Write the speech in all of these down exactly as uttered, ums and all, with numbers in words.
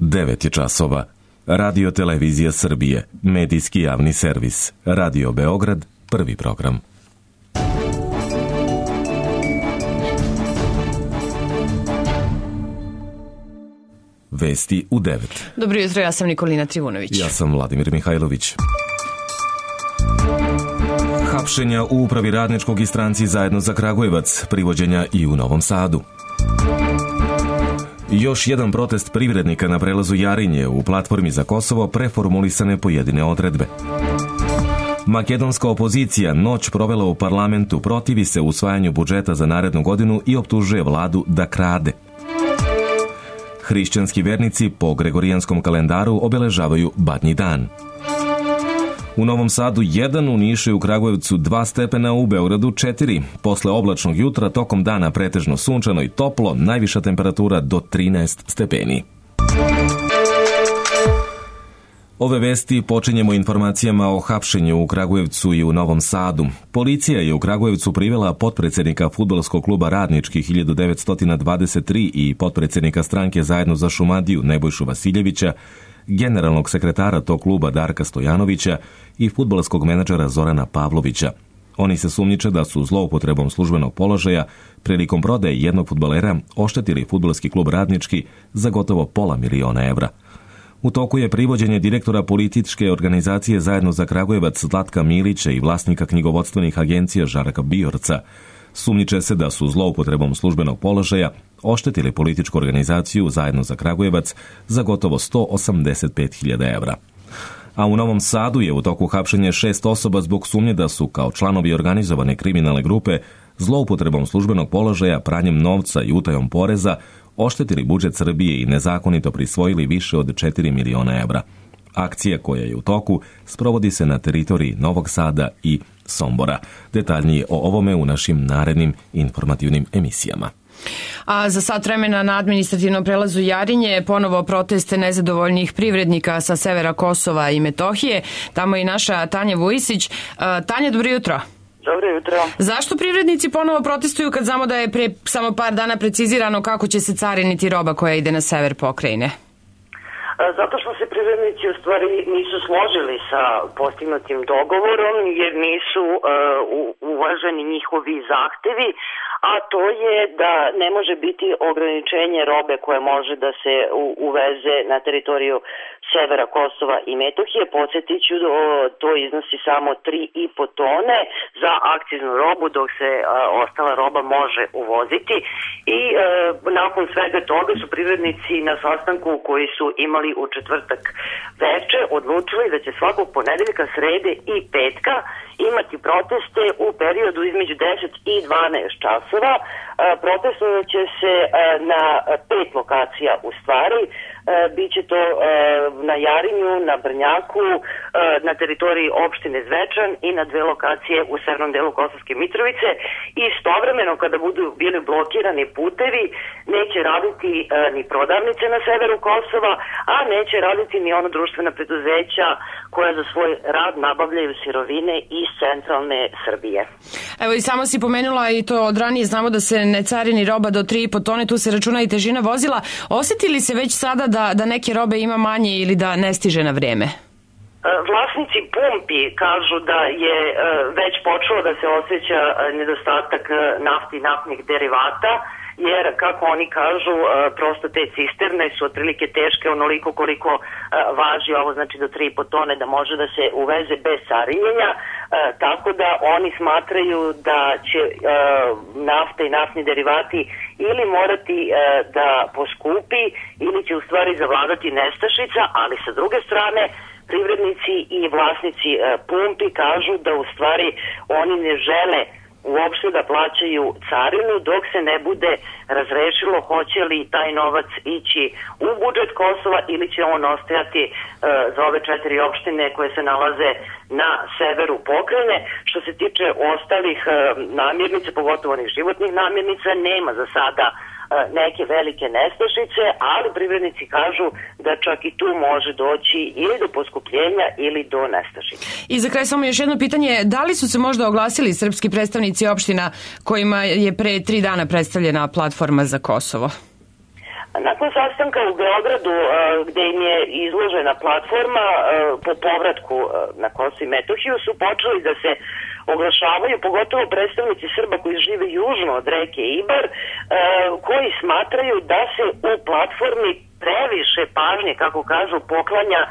devet je časova. Radio Televizija Srbije, medijski javni servis. Radio Beograd, prvi program. Vesti u devet. Dobro jutro, ja sam Nikolina Trivunović. Ja sam Vladimir Mihajlović. Hapšenja u Upravi Radničkog i Stranci Zajedno za Kragujevac, privođenja i u Novom Sadu. Još jedan protest privrednika na prelazu Jarinje u platformi za Kosovo, preformulisane pojedine odredbe. Makedonska opozicija noć provela u parlamentu, protivi se usvajanju budžeta za narednu godinu i optužuje vladu da krade. Hrišćanski vernici po gregorijanskom kalendaru obeležavaju Badnji dan. U Novom Sadu jedan, u Nišu i u Kragujevcu dva stepena, u Beogradu četiri. Posle oblačnog jutra tokom dana pretežno sunčano i toplo, najviša temperatura do trinaest stepeni. Ove vesti počinjemo informacijama o hapšenju u Kragujevcu i u Novom Sadu. Policija je u Kragujevcu privela potpredsednika fudbalskog kluba Radnički hiljadu devetsto dvadeset tri i potpredsednika stranke Zajedno za Šumadiju Nebojšu Vasiljevića, generalnog sekretara tog kluba Darka Stojanovića i fudbalskog menadžera Zorana Pavlovića. Oni se sumnjiče da su zloupotrebom službenog položaja prilikom prodaje jednog fudbalera oštetili fudbalski klub Radnički za gotovo pola miliona evra. U toku je privođenje direktora političke organizacije Zajedno za Kragujevac Zlatka Milića i vlasnika knjigovodstvenih agencija Žarka Bijorca. Sumnjiče se da su zloupotrebom službenog položaja oštetili političku organizaciju Zajedno za Kragujevac za gotovo sto osamdeset pet hiljada evra. A u Novom Sadu je u toku hapšenja šest osoba zbog sumnje da su kao članovi organizovane kriminalne grupe zloupotrebom službenog položaja, pranjem novca i utajom poreza oštetili budžet Srbije i nezakonito prisvojili više od četiri miliona evra. Akcija koja je u toku sprovodi se na teritoriji Novog Sada i Sombora. Detaljnije o ovome u našim narednim informativnim emisijama. A za sat vremena na administrativnom prelazu Jarinje ponovo proteste nezadovoljnih privrednika sa severa Kosova i Metohije. Tamo je i naša Tanja Vujisić. Tanja, dobro jutro. Dobro jutro. Zašto privrednici ponovo protestuju kad znamo da je pre samo par dana precizirano kako će se cariniti roba koja ide na sever pokrajine? Zato što se privrednici u stvari nisu složili sa postignutim dogovorom jer nisu uh, uvaženi njihovi zahtevi, a to je da ne može biti ograničenje robe koje može da se uveze na teritoriju severa Kosova i Metohije. Podsjetit ću, to iznosi samo tri i po tone za akciznu robu, dok se a, ostala roba može uvoziti. I a, nakon svega toga su privrednici na sastanku koji su imali u četvrtak veče odlučili da će svakog ponedeljka, srede i petka imati proteste u periodu između deset i dvanaest časova. Protestovat će se na pet lokacija u stvari. Biće to na Jarinju, na Brnjaku, na teritoriji opštine Zvečan i na dve lokacije u severnom delu Kosovske Mitrovice. I istovremeno kada budu bili blokirani putevi, neće raditi ni prodavnice na severu Kosova, a neće raditi ni ono društvena preduzeća koja za svoj rad nabavljaju sirovine iz centralne Srbije. Evo i samo si pomenula i to od ranije, znamo da se ne carini roba do tri i po tone, tu se računa i težina vozila. Osjetili se već sada da, da neke robe ima manje ili da ne stiže na vrijeme? Vlasnici pumpi kažu da je već počelo da se osjeća nedostatak nafti i naftnih derivata, jer kako oni kažu, prosto te cisterne su otprilike teške onoliko koliko važi ovo, znači do tri i po tone da može da se uveze bez carinjenja, tako da oni smatraju da će nafta i naftni derivati ili morati da poskupi ili će u stvari zavladati nestašica, ali sa druge strane privrednici i vlasnici pumpi kažu da u stvari oni ne žele uopšte da plaćaju carinu dok se ne bude razrešilo hoće li taj novac ići u budžet Kosova ili će on ostajati uh, za ove četiri opštine koje se nalaze na severu pokrajine. Što se tiče ostalih uh, namirnica, pogotovo onih životnih namirnica, nema za sada neke velike nestašice, ali privrednici kažu da čak i tu može doći ili do poskupljenja ili do nestašice. I za kraj samo još jedno pitanje, da li su se možda oglasili srpski predstavnici opština kojima je pre tri dana predstavljena platforma za Kosovo? Nakon sastanka u Beogradu gde im je izložena platforma po povratku na Kosovo i Metohiju su počeli da se oglašavaju, pogotovo predstavnici Srba koji žive južno od reke Ibar, koji smatraju da se u platformi previše pažnje, kako kažu, poklanja e,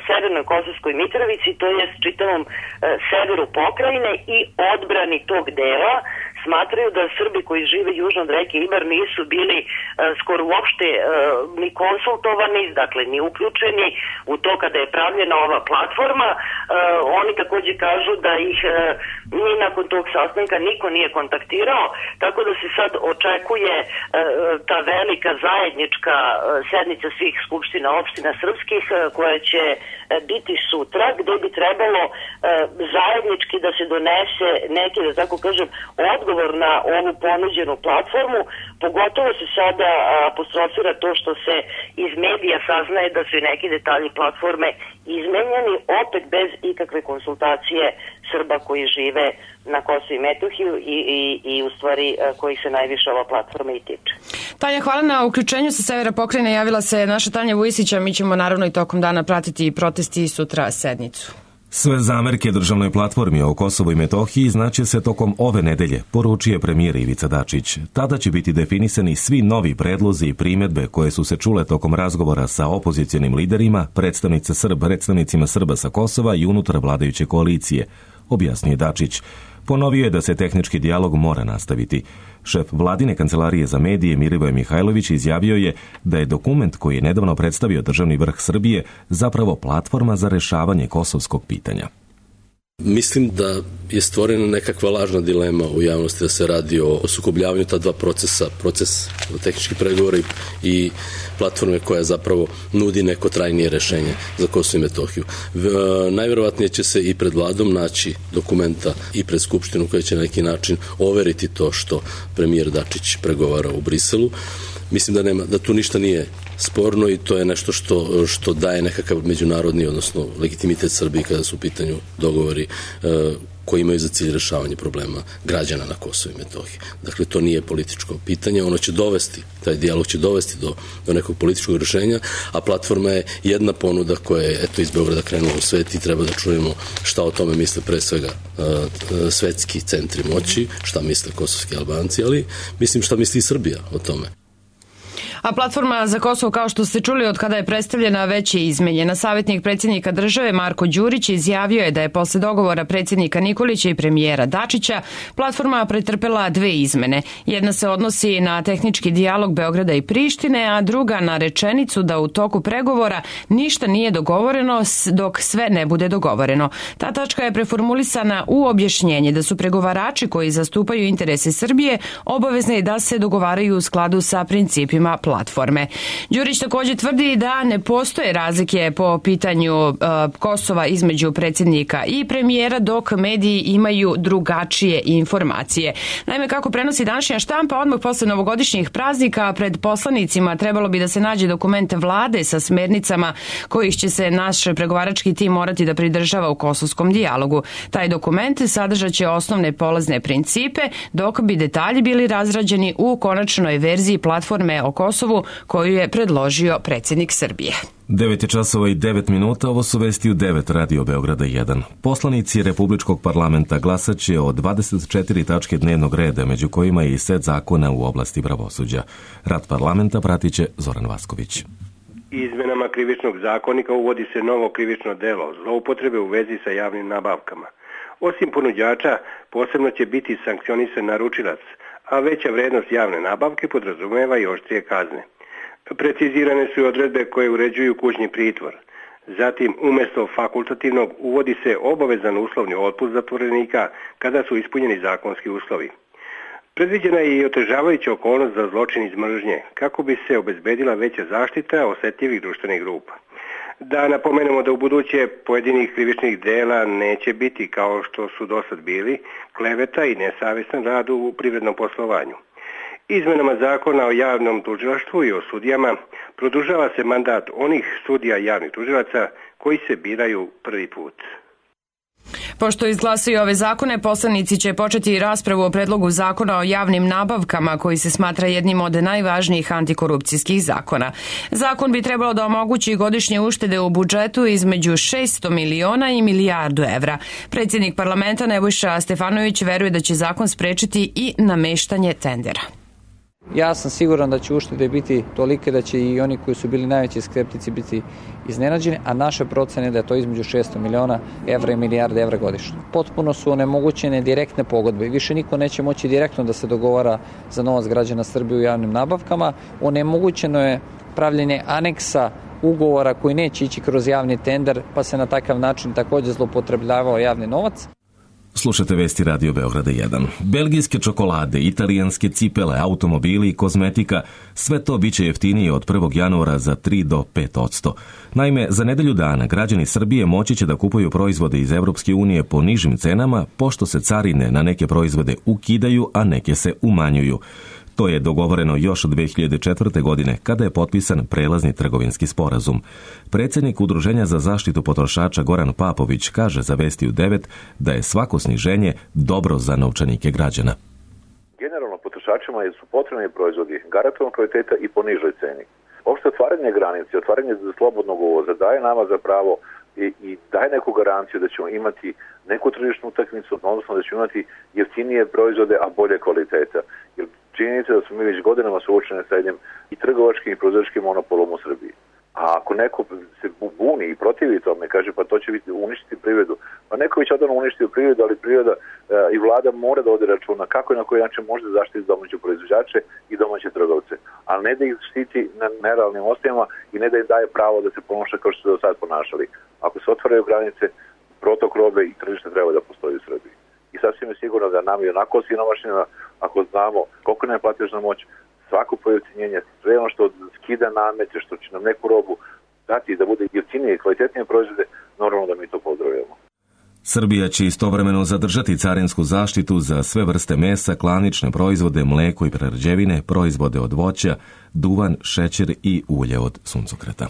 Severnoj Kosovskoj Mitrovici, to jest čitavom e, severu pokrajine i odbrani tog dela. Smatraju da Srbi koji žive južno od reke Ibar nisu bili e, skoro uopšte e, ni konsultovani, dakle ni uključeni u to kada je pravljena ova platforma. E, oni takođe kažu da ih e, ni nakon tog sastanka niko nije kontaktirao, tako da se sad očekuje e, ta velika zajednička e, sednica svih skupština opština srpskih koja će biti sutra, gde bi trebalo e, zajednički da se donese neki, da tako kažem, odgovor na ovu ponuđenu platformu. Pogotovo se sada apostrofira to što se iz medija saznaje da su i neki detalji platforme izmenjeni, opet bez ikakve konsultacije Srba koji žive na Kosovu i Metohiju i, i, i u stvari koji se najviše ova platforma i tiče. Tanja, hvala na uključenju sa severa pokrajine. Javila se naša Tanja Vujisića. Mi ćemo naravno i tokom dana pratiti protesti i sutra sednicu. Sve zamerke državnoj platformi o Kosovu i Metohiji znaće se tokom ove nedelje, poručuje premijer Ivica Dačić. Tada će biti definisani svi novi predlozi i primjedbe koje su se čule tokom razgovora sa opozicionim liderima, predstavnice Srb, predstavnicima Srba sa Kosova i unutar vladajuće koalicije, objasnio Dačić. Ponovio je da se tehnički dijalog mora nastaviti. Šef vladine kancelarije za medije Milivoje Mihajlović izjavio je da je dokument koji je nedavno predstavio državni vrh Srbije zapravo platforma za rešavanje kosovskog pitanja. Mislim da je stvorena nekakva lažna dilema u javnosti da se radi o sukobljavanju ta dva procesa, proces tehničkih pregovora i platforme koja zapravo nudi neko trajnije rešenje za Kosovo i Metohiju. Najverovatnije će se i pred vladom naći dokumenta i pred Skupštinu koja će na neki način overiti to što premijer Dačić pregovara u Briselu. Mislim da nema, da tu ništa nije sporno i to je nešto što, što daje nekakav međunarodni, odnosno legitimitet Srbiji kada su u pitanju dogovori e, koji imaju za cilj rešavanje problema građana na Kosovu i Metohiji. Dakle, to nije političko pitanje, ono će dovesti, taj dijalog će dovesti do, do nekog političkog rešenja, a platforma je jedna ponuda koja je eto, iz Beograda krenula u svet i treba da čujemo šta o tome misle pre svega uh, svetski centri moći, šta misle kosovski Albanci, ali mislim šta misli i Srbija o tome. A platforma za Kosovo, kao što ste čuli, od kada je predstavljena, već je izmenjena. Savjetnik predsjednika države Marko Đurić izjavio je da je posle dogovora predsjednika Nikolića i premijera Dačića platforma pretrpela dve izmene. Jedna se odnosi na tehnički dijalog Beograda i Prištine, a druga na rečenicu da u toku pregovora ništa nije dogovoreno dok sve ne bude dogovoreno. Ta tačka je preformulisana u objašnjenje da su pregovarači koji zastupaju interese Srbije obavezni da se dogovaraju u skladu sa principima platforme. Đurić takođe tvrdi da ne postoje razlike po pitanju uh, Kosova između predsjednika i premijera, dok mediji imaju drugačije informacije. Naime, kako prenosi današnja štampa, odmah posle novogodišnjih praznika pred poslanicima trebalo bi da se nađe dokument vlade sa smernicama kojih će se naš pregovarački tim morati da pridržava u kosovskom dijalogu. Taj dokument sadržaće osnovne polazne principe, dok bi detalji bili razrađeni u konačnoj verziji platforme o Kosovu koju je predložio predsjednik Srbije. devet je časova i devet minuta, ovo su vesti u devet Radio Beograda jedan. Poslanici Republičkog parlamenta glasaće o dvadeset četiri tačke dnevnog reda, među kojima je i set zakona u oblasti pravosuđa. Rad parlamenta pratiće Zoran Vasković. Izmenama krivičnog zakonika uvodi se novo krivično delo, zloupotrebe u vezi sa javnim nabavkama. Osim ponuđača, posebno će biti sankcionisan naručilac, a veća vrednost javne nabavke podrazumeva i oštrije kazne. Precizirane su i odredbe koje uređuju kućni pritvor. Zatim, umjesto fakultativnog uvodi se obavezan uslovni otpust zatvorenika kada su ispunjeni zakonski uslovi. Predviđena je i otežavajuća okolnost za zločin iz mržnje, kako bi se obezbedila veća zaštita osjetljivih društvenih grupa. Da napomenemo da u buduće pojedinih krivičnih dela neće biti, kao što su dosad bili, kleveta i nesavjestan rad u privrednom poslovanju. Izmenama zakona o javnom tužilaštvu i o sudijama produžava se mandat onih sudija javnih tužilaca koji se biraju prvi put. Pošto izglasaju ove zakone, poslanici će početi raspravu o predlogu zakona o javnim nabavkama, koji se smatra jednim od najvažnijih antikorupcijskih zakona. Zakon bi trebalo da omogući godišnje uštede u budžetu između šesto miliona i milijardu evra. Predsjednik parlamenta Nebojša Stefanović veruje da će zakon sprečiti i nameštanje tendera. Ja sam siguran da će uštede biti tolike da će i oni koji su bili najveći skeptici biti iznenađeni, a naše procene da je to između šesto miliona evra i milijarde evra godišnje. Potpuno su onemogućene direktne pogodbe. Više niko neće moći direktno da se dogovara za novac građana Srbije u javnim nabavkama. Onemogućeno je pravljenje aneksa ugovora koji neće ići kroz javni tender, pa se na takav način također zloupotrebljavao javni novac. Slušate vesti Radio Beograda jedan. Belgijske čokolade, italijanske cipele, automobili i kozmetika, sve to biće jeftinije od prvog januara za tri do pet odsto. Naime, za nedelju dana građani Srbije moći će da kupuju proizvode iz Evropske unije po nižim cenama, pošto se carine na neke proizvode ukidaju, a neke se umanjuju. To je dogovoreno još od dve hiljade četvrte. godine, kada je potpisan prelazni trgovinski sporazum. Predsjednik Udruženja za zaštitu potrošača Goran Papović kaže za Vesti u devet da je svako sniženje dobro za novčanike građana. Generalno potrošačima su potrebni proizvodi garantovanog kvaliteta i po nižoj ceni. Opšte otvaranje granice, otvaranje slobodnog uvoza daje nama za pravo i, i daje neku garanciju da ćemo imati neku tržišnu utakmicu, odnosno da ćemo imati jeftinije proizvode, a bolje kvaliteta. Jer činjenica da smo mi već godinama suočeni sa jednim i trgovačkim i proizvođačkim monopolom u Srbiji. A ako neko se buni i protivi tome, kaže pa to će biti uništiti privredu, pa neko već odavno uništio privredu, ali privreda e, i vlada mora da vode računa kako i na koji način može zaštiti domaće proizvođače i domaće trgovce, ali ne da ih štiti na nerealnim osnovama i ne da im daje pravo da se ponaša kao što se do sad ponašali. Ako se otvaraju granice, protok robe i tržište treba da postoji u Srbiji. I sasvim je sigurno da nam je onako siromašnjena, ako znamo koliko nam je platežna moć, svako pojeftinjenje, sve ono što skida namete, što će nam neku robu dati da bude jeftinije i kvalitetnije proizvode, normalno da mi to pozdravljamo. Srbija će istovremeno zadržati carinsku zaštitu za sve vrste mesa, klanične proizvode, mleko i prerađevine, proizvode od voća, duvan, šećer i ulje od suncokreta.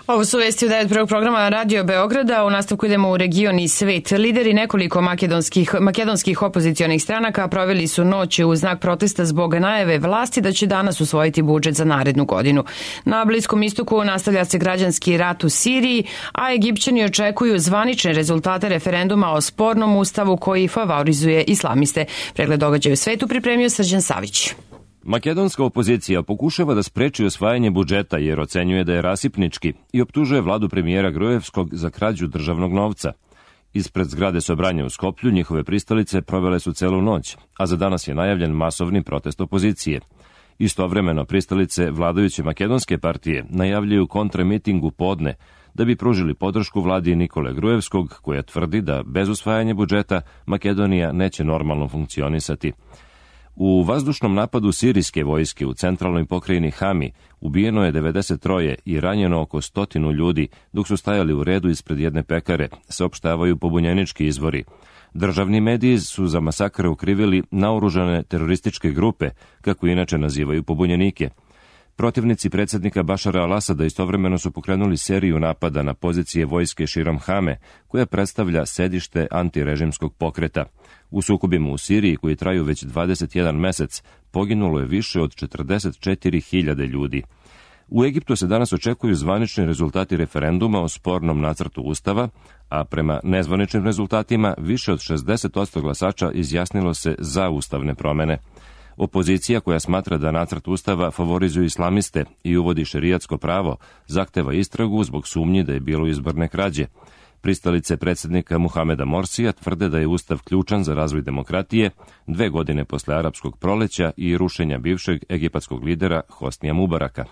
Ovo su vesti u devet prvog programa Radio Beograda. U nastavku idemo u region i svet. Lideri nekoliko makedonskih, makedonskih opozicionih stranaka proveli su noć u znak protesta zbog najave vlasti da će danas usvojiti budžet za narednu godinu. Na Bliskom istoku nastavlja se građanski rat u Siriji, a Egipćani očekuju zvanične rezultate referenduma o spornom ustavu koji favorizuje islamiste. Pregled događaja u svetu pripremio Srđan Savić. Makedonska opozicija pokušava da spreči osvajanje budžeta jer ocenjuje da je rasipnički i optužuje vladu premijera Grujevskog za krađu državnog novca. Ispred zgrade Sobranja u Skoplju njihove pristalice provele su celu noć, a za danas je najavljen masovni protest opozicije. Istovremeno pristalice vladajuće makedonske partije najavljaju kontramiting u podne da bi pružili podršku vladi Nikole Grujevskog, koja tvrdi da bez usvajanja budžeta Makedonija neće normalno funkcionisati. U vazdušnom napadu sirijske vojske u centralnoj pokrajini Hami ubijeno je devedeset tri i ranjeno oko stotinu ljudi dok su stajali u redu ispred jedne pekare, saopštavaju pobunjenički izvori. Državni mediji su za masakr ukrivili naoružane terorističke grupe, kako inače nazivaju pobunjenike. Protivnici predsjednika Bašara al-Asada istovremeno su pokrenuli seriju napada na pozicije vojske širom Hame, koja predstavlja sedište antirežimskog pokreta. U sukobima u Siriji, koji traju već dvadeset jedan mesec, poginulo je više od četrdeset četiri hiljade ljudi. U Egiptu se danas očekuju zvanični rezultati referenduma o spornom nacrtu ustava, a prema nezvaničnim rezultatima više od šezdeset posto glasača izjasnilo se za ustavne promene. Opozicija, koja smatra da nacrt ustava favorizuje islamiste i uvodi šerijatsko pravo, zahteva istragu zbog sumnji da je bilo izborne krađe. Pristalice predsjednika Muhameda Morsija tvrde da je ustav ključan za razvoj demokratije dve godine posle arapskog proleća i rušenja bivšeg egipatskog lidera Hosnija Mubaraka.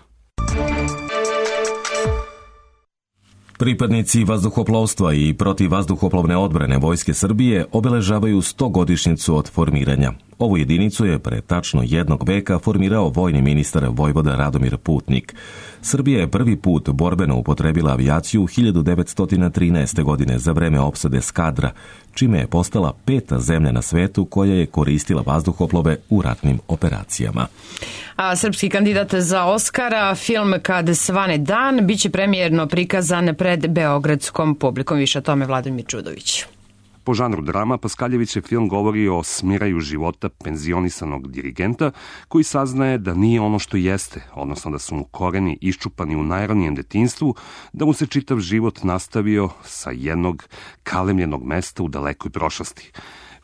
Pripadnici vazduhoplovstva i protivvazduhoplovne odbrane Vojske Srbije obeležavaju stogodišnjicu od formiranja. Ovu jedinicu je pre tačno jednog veka formirao vojni ministar Vojvoda Radomir Putnik. Srbija je prvi put borbeno upotrebila avijaciju hiljadu devetsto trinaeste. godine za vreme opsade Skadra, čime je postala peta zemlja na svetu koja je koristila vazduhoplove u ratnim operacijama. A srpski kandidat za Oskara, film Kad svane dan, biće premijerno prikazan pred beogradskom publikom. Više o tome Vladimir Čudović. Po žanru drama, Paskaljevićev film govori o smiraju života penzionisanog dirigenta koji saznaje da nije ono što jeste, odnosno da su mu koreni iščupani u najranijem detinjstvu, da mu se čitav život nastavio sa jednog kalemljenog mesta u dalekoj prošlosti.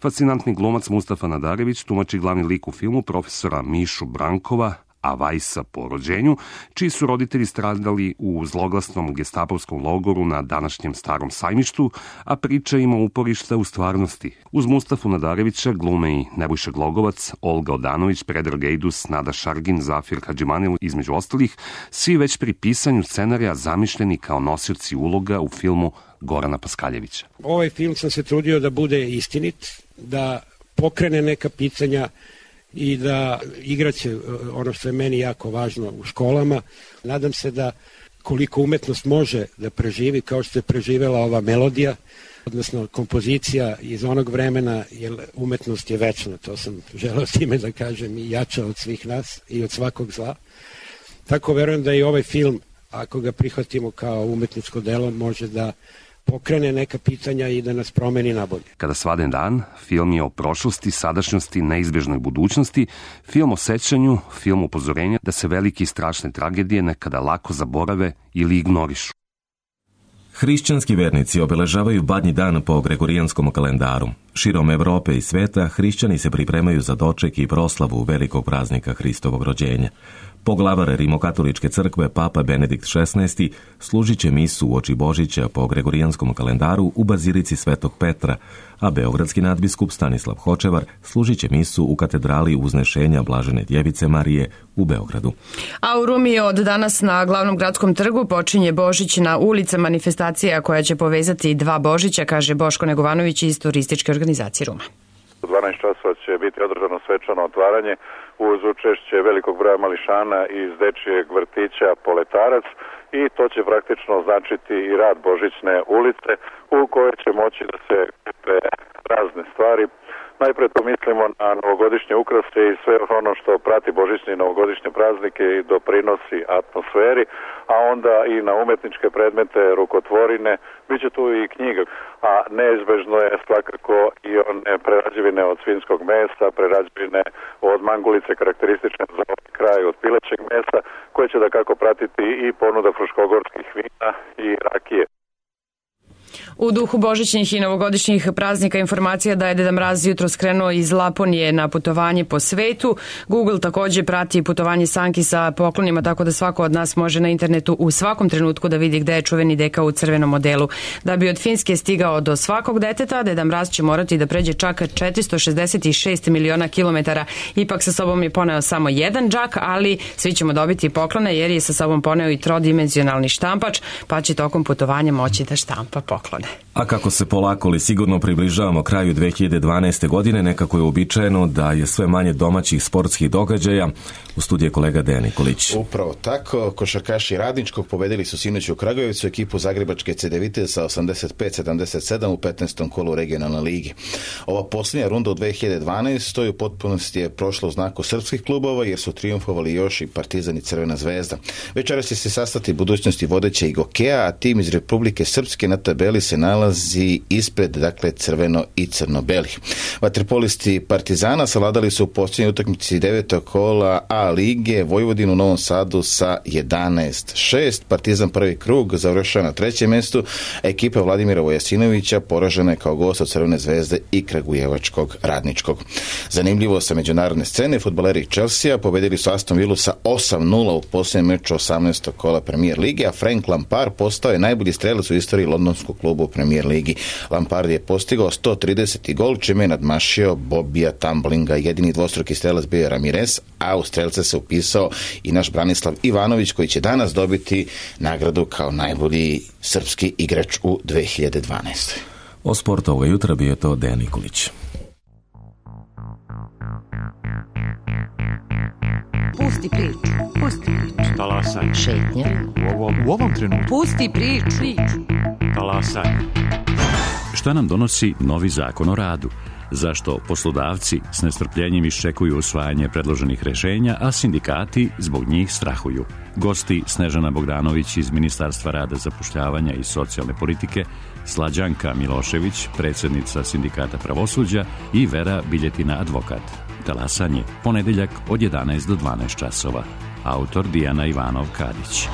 Fascinantni glumac Mustafa Nadarević tumači glavni lik u filmu profesora Mišu Brankova, a Vajsa po rođenju, čiji su roditelji stradali u zloglasnom gestapovskom logoru na današnjem Starom sajmištu, a priča ima uporišta u stvarnosti. Uz Mustafu Nadarevića glume i Nebojša Glogovac, Olga Odanović, Predrag Ejdus, Nada Šargin, Zafir Hadžimanil, između ostalih, svi već pri pisanju scenarija zamišljeni kao nosioci uloga u filmu Gorana Paskaljevića. Ovaj film sam se trudio da bude istinit, da pokrene neka pitanja i da igraće ono što je meni jako važno u školama. Nadam se da koliko umetnost može da preživi, kao što je preživela ova melodija, odnosno kompozicija iz onog vremena, jer umetnost je večna, to sam želeo s time da kažem, i jača od svih nas i od svakog zla. Tako verujem da i ovaj film, ako ga prihvatimo kao umetničko delo, može da pokrene neka pitanja i da nas promeni na bolje. Kada svane dan, film je o prošlosti, sadašnjosti, neizbežnoj budućnosti, film o sećanju, film upozorenja da se velike i strašne tragedije nekada lako zaborave ili ignorišu. Hrišćanski vernici obeležavaju Badnji dan po gregorijanskom kalendaru. Širom Evrope i sveta hrišćani se pripremaju za doček i proslavu velikog praznika Hristovog rođenja. Poglavar Rimokatoličke crkve Papa Benedikt šesnaesti služit će misu uoči Božića po gregorijanskom kalendaru u bazilici Svetog Petra, a beogradski nadbiskup Stanislav Hočevar služit će misu u katedrali Uznešenja Blažene Djevice Marije u Beogradu. A u Rumi od danas na glavnom gradskom trgu počinje Božićna ulica, manifestacija koja će povezati dva Božića, kaže Boško Negovanović iz turističke organizacije Ruma. U dvanaest časova će biti održano svečano otvaranje uz učešće velikog broja mališana iz dečijeg vrtića Poletarac i to će praktično značiti i rad Božićne ulice u kojoj će moći da se kupe razne stvari. Najpre to mislimo na novogodišnje ukrase i sve ono što prati božićne i novogodišnje praznike i doprinosi atmosferi, a onda i na umetničke predmete, rukotvorine, bit će tu i knjiga, a neizbežno je svakako i one prerađevine od svinjskog mesa, prerađevine od mangulice karakteristične za ovaj kraj od pilećeg mesa, koje će da kako pratiti i ponuda fruškogorskih vina i rakije. U duhu božićnih i novogodišnjih praznika informacija da je Deda Mraz jutro skrenuo iz Laponije na putovanje po svetu. Google također prati putovanje Sanki sa poklonima, tako da svako od nas može na internetu u svakom trenutku da vidi gde je čuveni deka u crvenom modelu. Da bi od Finske stigao do svakog deteta, Deda Mraz će morati da pređe čak četiristo šezdeset šest miliona kilometara. Ipak sa sobom je poneo samo jedan džak, ali svi ćemo dobiti poklone jer je sa sobom poneo i trodimenzionalni štampač, pa će tokom putovanja moći da štampa poklone. A kako se polako li sigurno približavamo kraju dve hiljade dvanaeste. godine, nekako je uobičajeno da je sve manje domaćih sportskih događaja. U studiju je kolega Dejan Nikolić. Upravo tako, košarkaši Radničkog pobedili su sinoć u Kragujevcu ekipu zagrebačke Cedevite sa osamdeset pet sedamdeset sedam u petnaestom kolu regionalne ligi. Ova posljednja runda u dve hiljade dvanaestoj. u potpunosti je prošla u znaku srpskih klubova jer su triumfovali još i Partizan i Crvena zvezda. Večeras će se sastati budućnosti vodeće i Gokeja, a tim iz Republike Srpske na tabeli se nalazi ispred, dakle, crveno i crno-belih. Vaterpolisti Partizana savladali su u posljednjoj utakmici devetog kola A lige Vojvodinu u Novom Sadu sa jedanaest šest. Partizan prvi krug završava na trećem mjestu. Ekipa Vladimira Vojasinovića poražena je kao gost od Crvene zvezde i Kragujevačkog Radničkog. Zanimljivo sa međunarodne scene, fudbaleri Chelsea pobedili su Aston Villu sa osam nula u posljednjem meču osamnaestog kola Premier lige, a Frank Lampard postao je najbolji strelac u istoriji londonskog kluba u Premier ligi. Lampard je postigao sto trideseti gol, čime je nadmašio Bobija Tumblinga. Jedini dvostruki strelac bio je Ramirez, a u strelce se upisao i naš Branislav Ivanović, koji će danas dobiti nagradu kao najbolji srpski igrač u dve hiljade dvanaestoj. O sportu ovoga jutra bio je to Dejan Nikolić. Pusti priču. Pusti priču. Talasaj. Šetnja. U ovom, u ovom trenutku. Pusti priču. priču. Talasaj. Šta nam donosi novi zakon o radu? Zašto poslodavci s nestrpljenjem iščekuju usvajanje predloženih rešenja, a sindikati zbog njih strahuju? Gosti Snežana Bogdanović iz Ministarstva rada, zapošljavanja i socijalne politike, Slađanka Milošević, predsjednica Sindikata pravosuđa i Vera Biljetina, advokat. Talasanje, ponedeljak od jedanaest do dvanaest časova. Autor Dijana Ivanov-Kadić.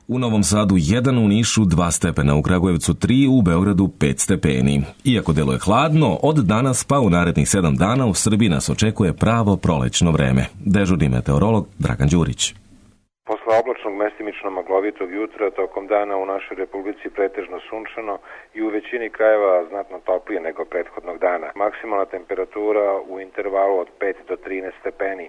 U Novom Sadu jedan, u Nišu dva stepena, u Kragujevcu tri, u Beogradu pet stepeni. Iako deluje hladno, od danas pa u narednih sedam dana u Srbiji nas očekuje pravo prolećno vreme. Dežurni meteorolog Dragan Đurić. Posle oblačnog mestimično maglovitog jutra, tokom dana u našoj republici pretežno sunčano i u većini krajeva znatno toplije nego prethodnog dana. Maksimalna temperatura u intervalu od pet do trinaest stepeni.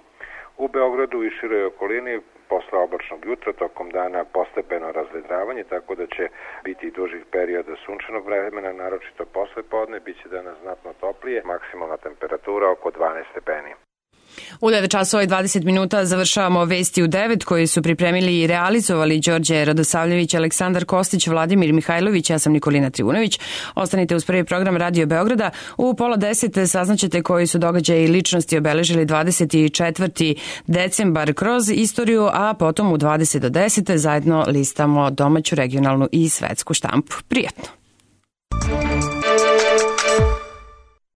U Beogradu i široj okolini posle oblačnog jutra tokom dana postepeno razvedravanje, tako da će biti dužih perioda sunčanog vremena, naročito posle podne, bit će danas znatno toplije, maksimalna temperatura oko dvanaest stepeni. U devet časova i dvadeset minuta završavamo Vesti u devet koje su pripremili i realizovali Đorđe Radosavljević, Aleksandar Kostić, Vladimir Mihajlović, ja sam Nikolina Trivunović. Ostanite uz prvi program Radio Beograda. U pola deset saznaćete koji su događaji i ličnosti obeležili dvadeset četvrti decembar kroz istoriju, a potom u dvadeset do deset zajedno listamo domaću, regionalnu i svetsku štampu. Prijatno!